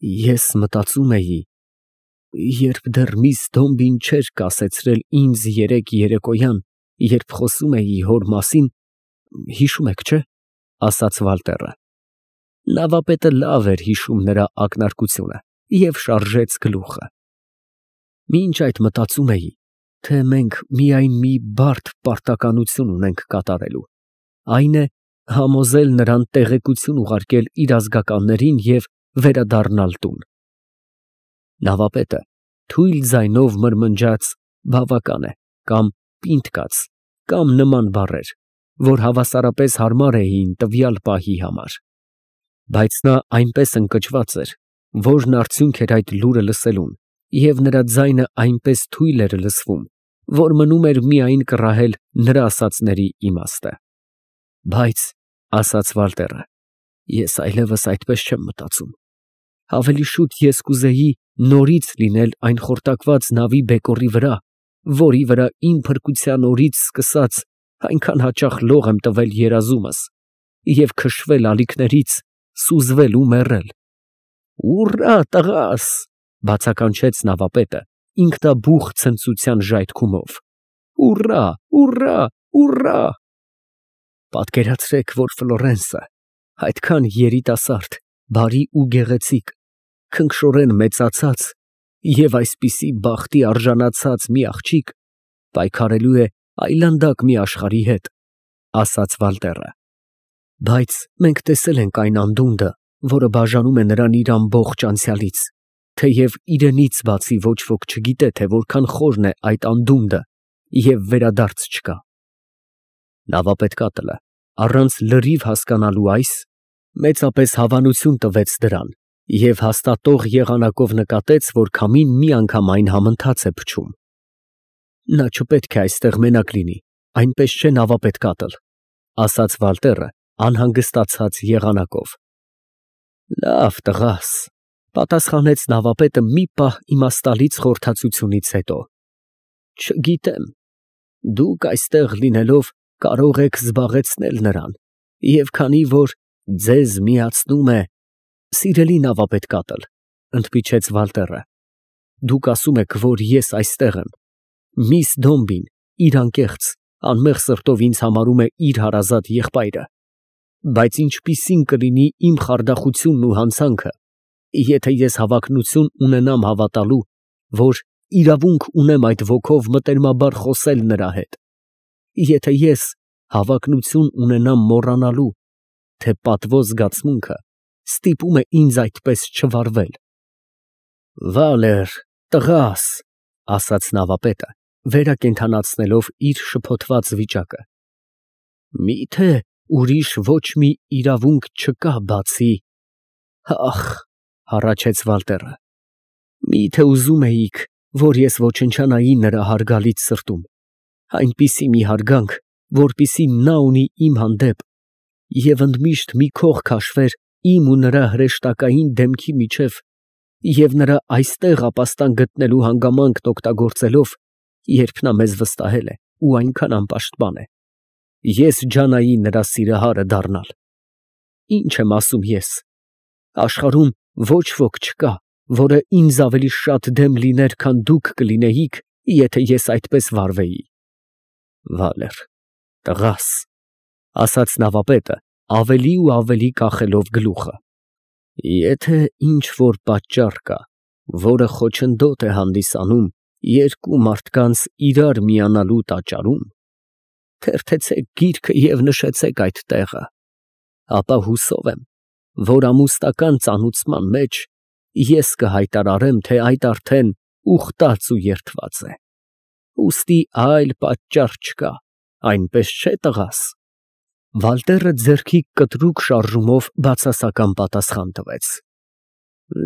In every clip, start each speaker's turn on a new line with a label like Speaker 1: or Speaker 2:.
Speaker 1: Ես մտածում էի, երբ դեռ միս Դոմբին չէր կասեցրել ինձ երեկ երեկոյան, երբ խոսում էի հոր մասին, հիշում եք, չէ՞, ասաց Վալտերը։ Նավապետը լավ էր հիշում նրա ակնարկությունը և շարժեց գլուխը։ Մինչ այդ մտածում էի, թե մենք միայն մի բարդ պարտականություն ունենք կատարելու, այն է համոզել նրան տեղեկություն ուղարկել իր ազգականներին և վերադառնալ տուն։ Նավապետը թույլ ձայնով մրմնջաց «բավական է» կամ «պինդ կաց» կամ նման բառեր, որ հավասարապես հարմար էին տվյալ պահի համար, բայց նա այնպես ընկճված էր, որն արդյունք էր այդ լուրը լսելուն, և նրա ձայնը այնպես թույլ էր լսվում, որ մնում էր միայն կռահել նրա ասածների իմաստը։ Բայց, ասաց Վալտերը, ես այլևս այդպես չեմ մտածում։ Ավելի շուտ ես կուզեի նորից լինել այն խորտակված նավի բեկորի վրա, որի վրա իմ փրկության օրից սկսած այնքան հաճախ լող եմ տվել երազումս, և քշվել ալիքներից, սուզվել ու մեռել։ «Ուռա, տղաս», ֊ բացականչեց նավապետը ինքնաբուխ ցնծության ժայթքումով, «ուռա, ուռա, ուռա»։ Պատկերացրեք, որ Ֆլորենսը, այդքան երիտասարդ, բարի ու գեղեցիկ, քնքշորեն մեծացած և այսպիսի բախտի արժանացած մի աղջիկ պայքարելու է այլանդակ մի աշխարհի հետ, ֊ ասաց Վալտերը։ Բայց մենք տեսել ենք այն անդունդը, որը բաժանում է նրան իր ամբողջ անցյալից, թեև իրենից բացի ոչ ոք չգիտե, թե որքան խորն է այդ անդունդը և վերադարձ չկա։ Նավապետկատլը, առանց լրիվ հասկանալու այս, մեծապես հավանություն տվեց դրան և հաստատող եղանակով նկատեց, որ քամին միանգամայն համընթաց է փչում։ Նա չպետք է այստեղ մենակ լինի, այնպես չէ նավապետկատլ, ֊ ասաց Վալտերը անհանգստացած եղանակով։ Լավ, տղաս, ֊ պատասխանեց նավապետը մի պահ իմաստալից խորհրդածությունից հետո։ Չգիտեմ, դուք այստեղ լինելով կարող եք զբաղեցնել նրան, և քանի որ ձեզ միացնում է… Սիրելի նավապետկատլ, ֊ ընդմիջեց Վալտերը, ֊ դուք ասում եք, որ ես այստեղ եմ, միս Դոմբին իր անկեղծ, անմեղ սրտով ինձ համարում է իր հարազատ եղբայրը, բայց ինչպիսի՞ն կլինի իմ խարդախությունն ու հանցանքը, եթե ես հավակնություն ունենամ հավատալու, որ իրավունք ունեմ այդ ոգով մտերմաբար խոսել նրա հետ, եթե ես հավակնություն ունենամ մոռանալու, թե պատվո զգացմունքը ստիպում է ինձ այդպես չվարվել։ Վալեր, տղաս, ֊ ասաց նավապետը, վերակենդանացնելով իր շփոթված վիճակը, միթե ուրիշ ոչ մի իրավունք չկա բացի… Ախ, ֊ հառաչեց Վալտերը, միթե ուզում էիք, որ ես ոչնչանայի նրա հարգալից սրտում, այնպիսի մի հարգանք, որպիսի նա ունի իմ հանդեպ, և ընդմիշտ մի քող քաշվեր իմ ու նրա հրեշտակային դեմքի միջև, և նրա այստեղ ապաստան գտնելու հանգամանքն օգտագործելով, երբ նա մեզ վստահել է ու այնքան անպաշտպան է, ես ջանայի նրա սիրահարը դառնալ։ Ինչ եմ ասում ես, աշխարհում ոչ ոք չկա, որը ինձ ավելի շատ դեմ լիներ, քան դուք կլինեիք, եթե ես այդպես վարվեի։ Վալեր, տղաս, ֊ ասաց նավապետը, ավելի ու ավելի կախելով գլուխը, եթե ինչ֊որ պատճառ կա, որը խոչընդոտ է հանդիսանում երկու մարդկանց իրար միանալու տաճարում, թերթեցեք գիրքը և նշեցեք այդ տեղը, ապա հուսով եմ, որ ամուսնական ծանուցման մեջ ես կհայտարարեմ, թե այդ արդեն ուխտած ու երդված է։ Ուստի այլ պատճառ չկա, այնպես չէ՞, տղաս։ Վալտերը ձեռքի կտրուկ շարժումով բացասական պատասխան տվեց։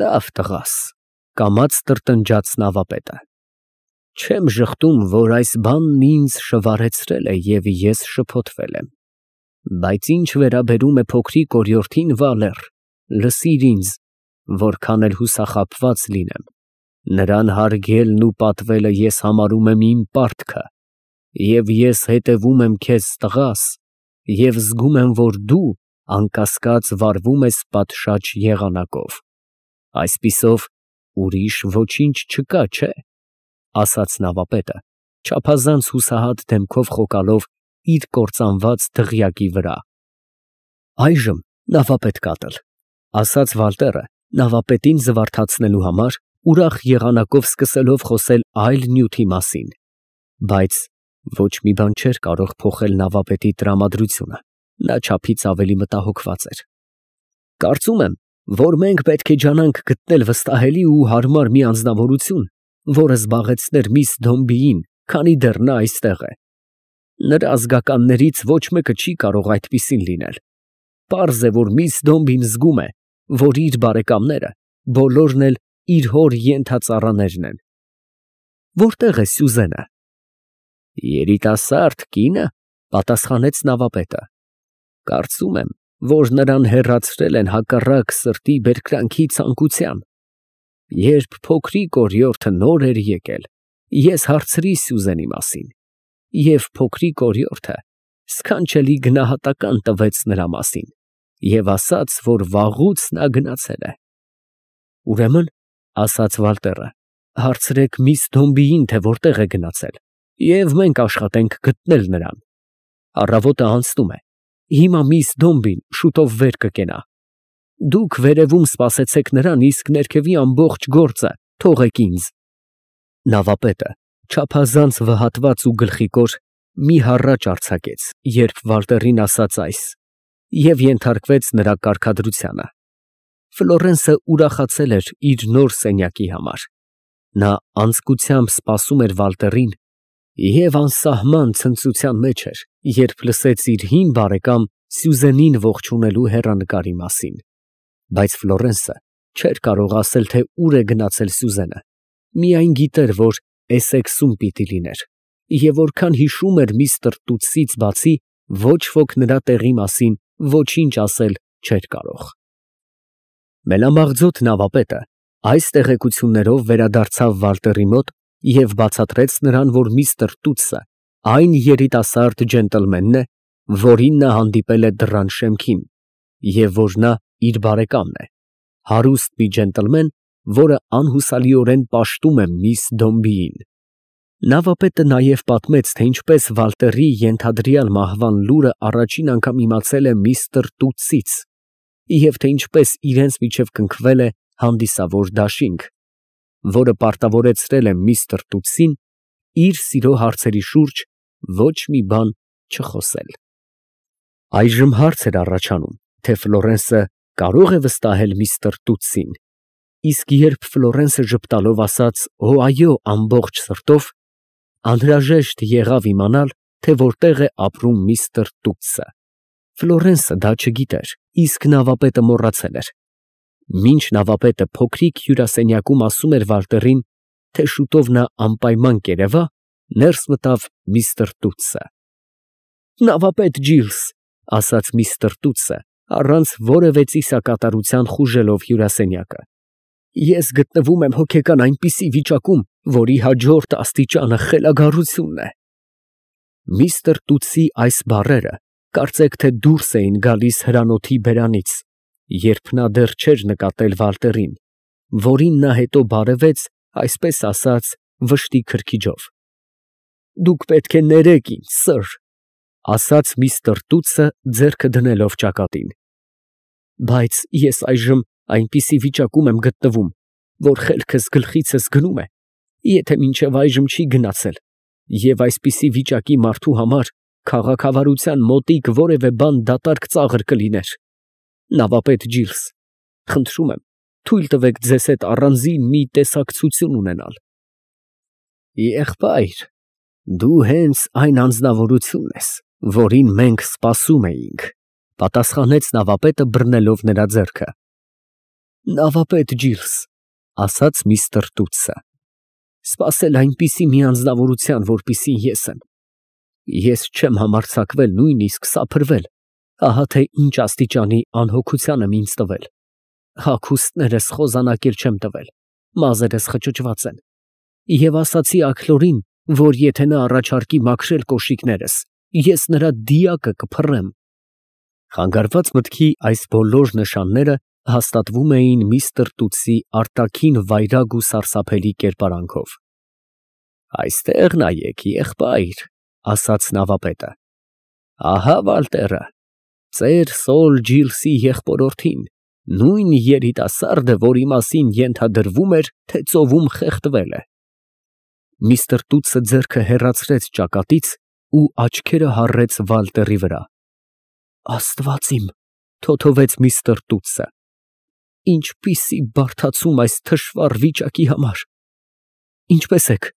Speaker 1: Լավ, տղաս, ֊ կամաց տրտնջաց նավապետը, չեմ ժխտում, որ այս բանն ինձ շվարեցրել է և ես շփոթվել եմ, բայց ինչ վերաբերում է փոքրիկ օրիորդին, Վալեր, լսիր ինձ, որքան էլ հուսախաբված լինեմ, նրան հարգելն ու պատվելը ես համարում եմ իմ պարտքը, և ես հետևում եմ քեզ, տղաս, և զգում եմ, որ դու, անկասկած, վարվում ես պատշաճ եղանակով։ Այսպիսով ուրիշ ոչինչ չկա, չէ, ասաց նավապետը, չափազանց հուսահատ դեմքով խոկալով իր կործանված դղյակի վրա։ Այժմ նավապետ կատել, ասաց Վալտերը, նավապետին զվարթացնելու համար, ուրախ եղանակով սկսելով խոսել այլ նյութի մասին, բայց ոչ մի բան չէր կարող փոխել նավապետի տրամադրությունը, նա չափից ավելի մտահոգված էր։ Կարծում եմ, որ մենք պետք է ջանանք գտնել վստահելի ու հարմար մի անձնավորություն, որը զբաղեցներ միս Դոմբիին, քանի դեռ նա այստեղ է։ Նրա ազգականներից ոչ մեկը չի կարող այդպիսին լինել։ Պարզ է, որ միս Դոմբին զգում է, որ իր բարեկամները բոլորն էլ իր հոր ենթածառաներն են։ Որտե՞ղ է Սյուզենը։ Երիտասարդ կինը, պատասխանեց նավապետը։ Կարծում եմ, որ նրան հեռացրել են հակառակ սրտի բերկրանքի ցանկության։ Երբ փոքրիկ օրիորդը նոր էր եկել, ես հարցրի Սյուզենի մասին, և փոքրիկ օրիորդը սքանչելի գնահատական տվեց նրա մասին և ասաց, որ վաղուց նա գնացել է։ Ուրեմն, ասաց Վալտերը, հարցրեք միս Դոմբիին, թե որտեղ է գնացել, և մենք աշխատենք գտնել նրան։ Առավոտը անցնում է, հիմա միս Դոմբին շուտով վեր կկենա։ Դուք վերևում սպասեցեք նրան, իսկ ներքևի ամբողջ գործը թողեք ինձ։ Նավապետը, չափազանց վհատված ու գլխիկոր, մի հառաչ արձակեց, երբ Վալտերին ասաց այս, և ենթարկվեց նրա կարգադրությանը։ Ֆլորենսը ուրախացել էր իր նոր սենյակի համար։ Նա անձկությամբ սպասում էր Վալտերին և անսահման ցնծության մեջ էր, երբ լսեց իր հին բարեկամ Սյուզենին ողջունելու հեռանկարի մասին։ Բայց Ֆլորենսը չէր կարող ասել, թե ուր է գնացել Սյուզենը, միայն գիտեր, որ Էսեքսում պիտի լիներ, և որքան հիշում էր միստր Տուտսից բացի, ոչ ոք նրա տեղի մասին ոչինչ ասել չէր կարող։ Մելամաղձոտ նավապետը այս տեղեկություններով վերադարձավ Վալտերի մոտ և բացատրեց նրան, որ միստր Տուտսը այն երիտասարդ ջենտլմենն է, որին նա հանդիպել է դռան շեմքին, և որ նա իր բարեկամն է, հարուստ մի ջենտլմեն, որը անհուսալիորեն պաշտում է միս Դոմբիին։ Նավապետը նաև պատմեց, թե ինչպես Վալտերի ենթադրյալ մահվան լուրը առաջին անգամ իմացել է միստր Տուտսից, և թե ինչպես իրենց միջև կնքվել է հանդիսավոր դաշինք, որը պարտավորեցրել է միստր Տուտսին իր սիրո հարցերի շուրջ ոչ մի բան չխոսել։ Այժմ հարց էր առաջանում, թե Ֆլորենսը կարո՞ղ է վստահել միստր Տուտսին, իսկ երբ Ֆլորենսը ժպտալով ասաց «Օ, այո» ամբողջ սրտով, անհրաժեշտ եղավ իմանալ, թե որտեղ է ապրում միստր Տուտսը։ Ֆլորենսը դա չգիտեր, իսկ նավապետը մոռացել էր։ Մինչ նավապետը փոքրիկ հյուրասենյակում ասում էր Վալտերին, թե շուտով նա անպայման կերևա, ներս մտավ միստր Տուտսը։ Նավապետ Ջիլս, ասաց միստր Տուտսը, առանց որևէ ծիսակատարության խուժելով հյուրասենյակը, ես գտնվում եմ հոգեկան այնպիսի վիճակում, որի հաջորդ աստիճանը խելագարությունն է։ Միստր Տուտսի այս բառերը կարծեք թե դուրս էին գալիս հրանոթի բերանից, երբ նա դեռ չէր նկատել Վալտերին, որին նա հետո բարևեց, այսպես ասած, վշտի քրքիջով։ Դուք պետք է ներեք ինձ, սըր, ասաց միստր Տուտսը ձեռքը դնելով ճակատին։ Բայց ես այժմ այնպիսի վիճակում եմ գտնվում, որ խելքս գլխիցս գնում է, եթե մինչև այժմ չի գնացել, և այսպիսի վիճակի մարդու համար քաղաքավարության մոտիկ որևէ բան դատարկ ծաղր կլիներ։ Նավապետ Ջիլս, խնդրում եմ, թույլ տվեք ձեզ հետ առանձին մի տեսակցություն ունենալ։ Եղբայր, դու հենց այն անձնավորությունն ես, որին մենք սպասում էինք, պատասխանեց նավապետը բռնելով նրա ձեռքը։ Նավապետ Ջիլս, ասաց միստր Տուտսը, սպասել այնպիսի մի անձնավորության, որպիսին ես եմ։ Ես չեմ համարձակվել նույնիսկ սափրվել, ահա թե ինչ աստիճանի անհոգության եմ ինձ տվել։ Հագուստներս խոզանակեր չեմ տվել, մազերս խճճված են, և ասացի Աքլորին, որ եթե նա առաջարկի մաքրել կոշիկներս, ես նրա դիակը կփռեմ։ Խանգարված մտքի այս բոլոր նշանները հաստատվում էին միստր Տուտսի արտաքին վայրագ ու սարսափելի կերպարանքով։ Այստեղ նայեք, եղբայր, ասաց նավապետը։ Ահա Վալտերը, ծեր Սոլ Ջիլսի եղբորորդին, նույն երիտասարդը, որի մասին ենթադրվում էր, թե ծովում խեղդվել է։ Միստր Տուտսը ձեռքը հեռացրեց ճակատից ու աչքերը հառեց Վալտերի վրա։ Աստված իմ, թոթովեց միստր Տուտսը, ինչպիսի բարդացում այս թշվառ վիճակի համար։ Ինչպես եք։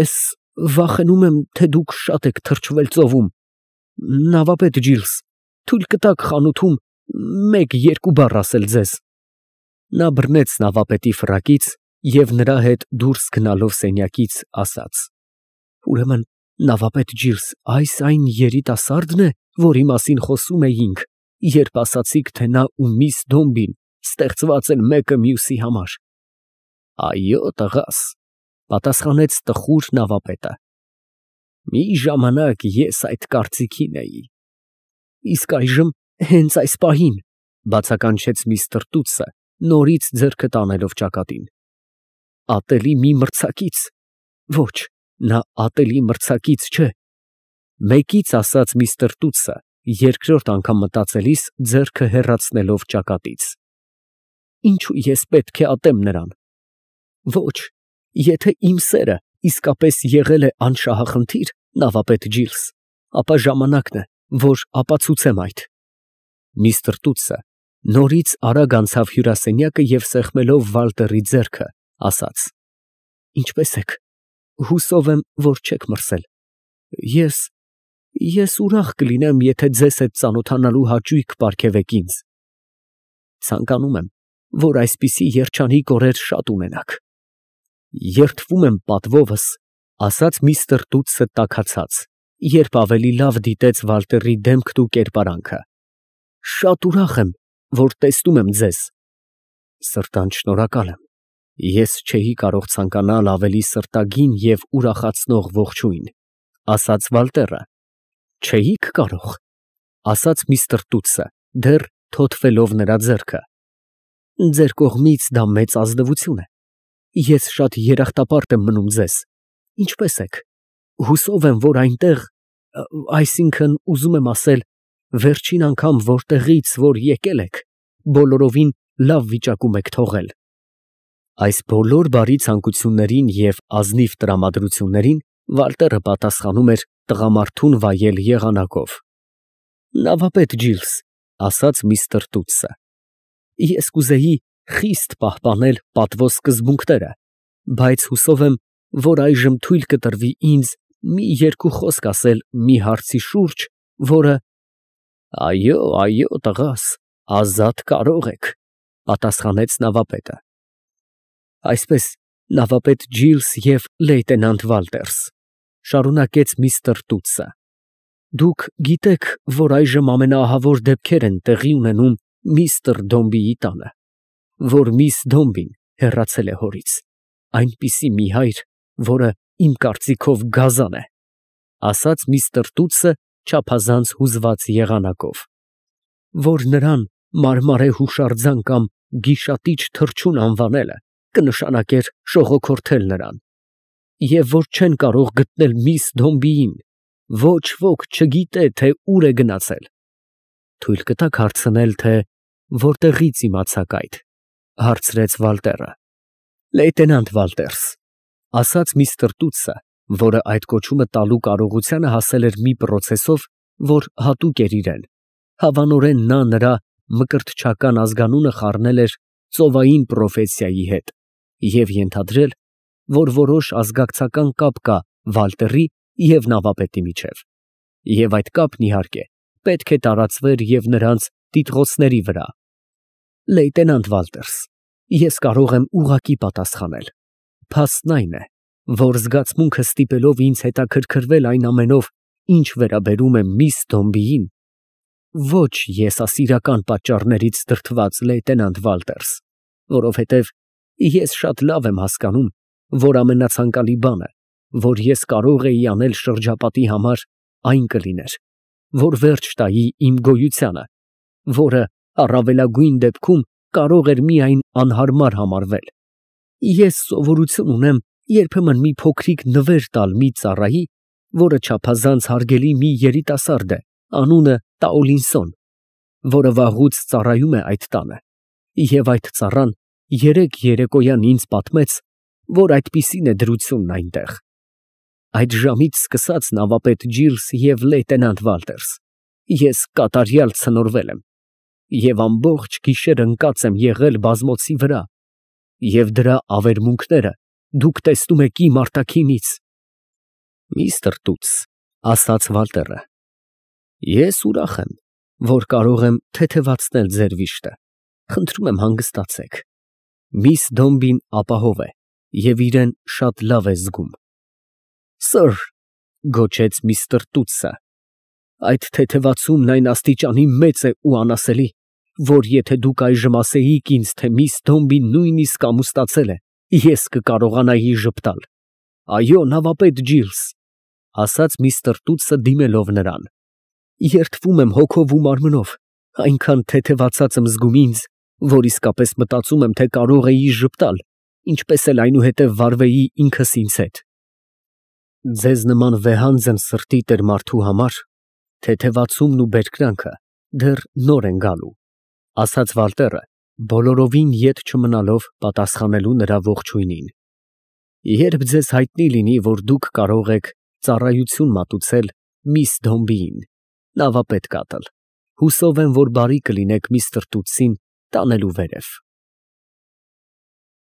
Speaker 1: Ես վախենում եմ, թե դուք շատ եք թրջվել ծովում։ Նավապետ Ջիլս, թույլ կտաք խանութում մեկ-երկու բառ ասել ձեզ։ Նա բռնեց նավապետի ֆրակից և նրա հետ դուրս գնալով սենյակից ասաց. Ուրեմն, նավապետ Ջիլս, այս այն երիտասարդն է, որի մասին խոսում էինք, երբ ասացիք, թե նա ու միս Դոմբին ստեղծված են մեկը մյուսի համար։ Այո, տղաս, պատասխանեց տխուր նավապետը։ Մի ժամանակ ես այդ կարծիքին էի։ Իսկ այժմ, հենց այս պահին, բացականչեց միստր Տուտսը, նորից ձեռքը տանելով ճակատին։ Ատելի մի մրցակից։ Ոչ, նա ատելի մրցակից չէ։ Մեկից ասաց միստր Տուտսը, երկրորդ անգամ մտածելիս ձեռքը հեռացնելով ճակատից։ Ինչու ես պետք է ատեմ նրան։ Ոչ, եթե իմ սերը իսկապես եղել է անշահախնդիր, նավապետ Ջիլս, ապա ժամանակն է, որ ապացուցեմ այդ։ Միստր Տուտսը նորից արագ անցավ հյուրասենյակը և սեղմելով Վալտերի ձեռքը, ասաց. Ինչպես եք։ Հուսով եմ, որ չեք մրսել։ Ես ուրախ կլինեմ, եթե ձեզ հետ ծանոթանալու հաճույք պարգևեք ինձ։ Ցանկանում եմ, որ այսպիսի երջանիկ օրեր շատ ունենաք։ Երդվում եմ պատվովս, ասաց միստր Տուտսը տաքացած, երբ ավելի լավ դիտեց Վալտերի դեմքն ու կերպարանքը։ Շատ ուրախ եմ, որ տեսնում եմ ձեզ։ Սրտանց շնորհակալ եմ։ Ես չէի կարող ցանկանալ ավելի սրտագին և ուրախացնող ողջույն, ասաց Վալտերը։ Չէիք կարող, ասաց միստր Տուտսը, դեռ թոթվելով նրա ձեռքը։ Ձեր կողմից դա մեծ ազնվություն է։ Ես շատ երախտապարտ եմ մնում ձեզ։ Ինչպես եք։ Հուսով եմ, որ այնտեղ, այսինքն ուզում եմ ասել, վերջին անգամ որտեղից որ եկել եք, բոլորովին լավ վիճակում եք թողել։ Այս բոլոր բարի ցանկություններին և ազնիվ տրամադրություններին Վալտերը պատասխանում էր տղամարդուն վայել եղանակով։ Նավապետ Ջիլս, ասաց միստր Տուտսը, ես կուզեի խիստ պահպանել պատվո սկզբունքները, բայց հուսով եմ, որ այժմ թույլ կտրվի ինձ մի երկու խոսք ասել մի հարցի շուրջ, որը… Այո, տղաս, ազատ կարող եք, պատասխանեց նավապետը։ Այսպես, նավապետ Ջիլս և լեյտենանտ Վալտերս, շարունակեց միստր Տուտսը, դուք գիտեք, որ այժմ ամենաահավոր դեպքեր են տեղի ունենում միստր Դոմբիի տանը, որ միս Դոմբին հեռացել է հորից, այնպիսի մի հայր, որը իմ կարծիքով գազան է, ասաց միստր Տուտսը չափազանց հուզված եղանակով, որ նրան մարմարե հուշարձան կամ գիշատիչ թռչուն անվանելը կնշանակեր շողոքորթել նրան, և որ չեն կարող գտնել միս Դոմբիին, ոչ ոք չգիտե, թե ուր է գնացել։ Թույլ կտաք հարցնել, թե որտեղից իմացաք այդ, հարցրեց Վալտերը։ Լեյտենանտ Վալտերս, ասաց միստր Տուտսը, որը այդ կոչումը տալու կարողությանը հասել էր մի պրոցեսով, որ հատուկ էր իրեն, հավանորեն նա նրա մկրտչական ազգանունը խառնել էր ծովային պրոֆեսիայի հետ և ենթադրել, որ որոշ ազգակցական կապ կա Վալտերի և նավապետի միջև, և այդ կապն, իհարկե, պետք է տարածվեր և նրանց տիտղոսների վրա։ Լեյտենանտ Վալտերս, ես կարող եմ ուղղակի պատասխանել։ Փաստն այն է, որ զգացմունքը ստիպելով ինձ հետաքրքրվել այն ամենով, ինչ վերաբերում է միս Դոմբիին, ոչ եսասիրական պատճառներից դրդված, լեյտենանտ Վալտերս, որովհետև ես շատ լավ եմ հասկանում, որ ամենացանկալի բանը, որ ես կարող էի անել շրջապատի համար, այն կլիներ, որ վերջ տայի իմ գոյությանը, որը առավելագույն դեպքում կարող էր միայն անհարմար համարվել։ Ես սովորություն ունեմ երբեմն մի փոքրիկ նվեր տալ մի ծառայի, որը չափազանց հարգելի մի երիտասարդ է, անունը Տաոլինսոն, որը վաղուց ծառայում է այդ տանը, և այդ ծառան երեկ երեկոյան ինձ պատմեց, որ այդպիսին է դրությունն այնտեղ։ Այդ ժամից սկսած, նավապետ Ջիլս և լեյտենանտ Վալտերս, ես կատարյալ ցնորվել եմ և ամբողջ գիշեր ընկած եմ եղել բազմոցի վրա, և դրա ավերմունքները դուք տեսնում եք իմ արտաքինից։ Միստր Տուտս, ֊ ասաց Վալտերը, ֊ ես ուրախ եմ, որ կարող եմ թեթևացնել ձեր վիշտը, խնդրում եմ հանգստացեք։ Միս Դոմբին ապահով է և իրեն շատ լավ է զգում։ Սըր, ֊ գոչեց միստր Տուտսը, ֊ այդ թեթևացումն այն աստիճանի մեծ է ու անասելի, որ եթե դուք այժմ ասեիք ինձ, թե միս Դոմբին նույնիսկ ամուսնացել է, ես կկարողանայի ժպտալ։ Այո, նավապետ Ջիլս, ֊ ասաց միստր Տուտսը դիմելով նրան, ֊ երդվում եմ հոգով ու մարմնով, այնքան թեթևացած եմ զգում ինձ, որ իսկապես մտածում եմ, թե կարող էի ժպտալ, ինչպես էլ այնուհետև վարվեի ինքս ինձ հետ։ Ձեզ նման վեհանձն սրտի տեր մարդու համար թեթևացումն ու բերկրանքը դեռ նոր են գալու, ֊ ասաց Վալտերը, բոլորովին ետ չմնալով պատասխանելու նրա ողջույնին։ Երբ ձեզ հայտնի լինի, որ դուք կարող եք ծառայություն մատուցել միս Դոմբիին, նավապետ կատել, հուսով եմ, որ բարի կլինեք միստր Տուտսին տանելու վերև։